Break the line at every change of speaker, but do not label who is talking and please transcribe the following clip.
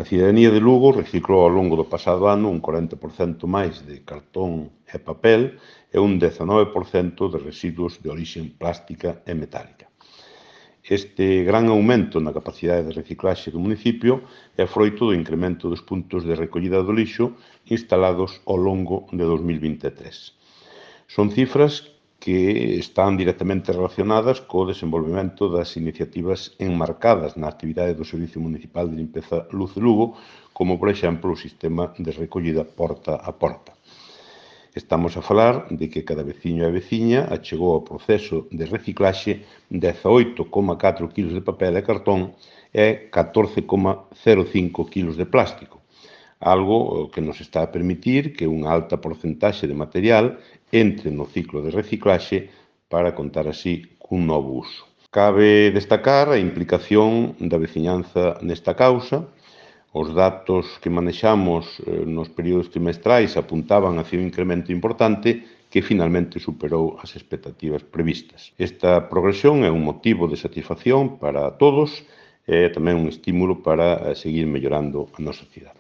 cidadanía de Lugo reciclou ao longo do pasado ano un 40% máis de cartón e papel e un 19% de residuos de orixe plástica e metálica. Este gran aumento na capacidade de reciclaxe do municipio é froito do incremento dos puntos de recollida do lixo instalados ao longo de 2023. Son cifras que están directamente relacionadas co desenvolvemento das iniciativas enmarcadas na actividade do Servicio Municipal de Limpeza Luz de Lugo, como, por exemplo, o sistema de recollida porta a porta. Estamos a falar de que cada veciño e veciña achegou ao proceso de reciclaxe 18,4 kg de papel e cartón e 14,05 kg de plástico, algo que nos está a permitir que unha alta porcentaxe de material entre no ciclo de reciclaxe para contar así cun novo uso. Cabe destacar a implicación da veciñanza nesta causa. Os datos que manexamos nos períodos trimestrais apuntaban hacia un incremento importante que finalmente superou as expectativas previstas. Esta progresión é un motivo de satisfacción para todos e tamén un estímulo para seguir mellorando a nosa cidade.